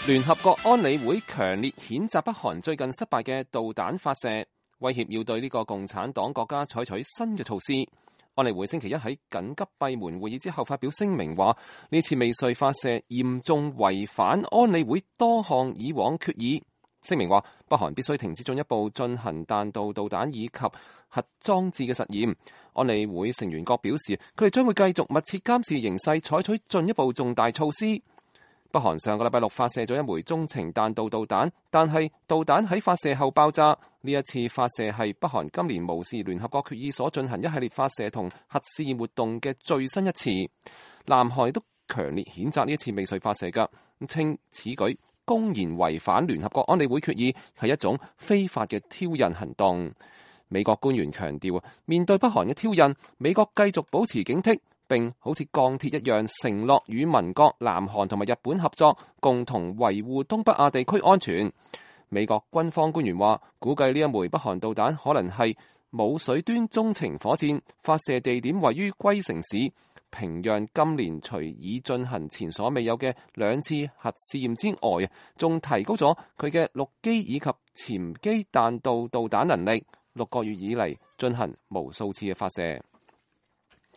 聯合國安理會強烈譴責北韓最近失敗嘅導彈發射，威脅要對呢個共產黨國家採取新嘅措施。安理會星期一喺緊急閉門會議之後發表聲明話，呢次未遂發射嚴重違反安理會多項以往決議。聲明話，北韓必須停止進一步進行彈道導彈以及核裝置嘅實驗。安理會成員國表示，佢哋將會繼續密切監視形勢，採取進一步重大措施。北韓上個禮拜六發射咗一枚中程彈道導彈，但係導彈喺發射後爆炸。呢一次發射係北韓今年無視聯合國決議所進行一系列發射同核試驗活動嘅最新一次。南韓亦都強烈譴責呢一次未遂發射㗎，稱此舉公然違反聯合國安理會決議，係一種非法嘅挑釁行動。美國官員強調，面對北韓嘅挑釁，美國繼續保持警惕，並好似鋼鐵一樣承諾與盟國南韓同埋日本合作，共同維護東北亞地區安全。美國軍方官員話，估計呢一枚北韓導彈可能係舞水端中程火箭，發射地點位於龜城市。平壤今年除已進行前所未有嘅2次核試驗之外，仲提高咗佢嘅陸基以及潛機彈道導彈能力，6個月以嚟進行無數次嘅發射。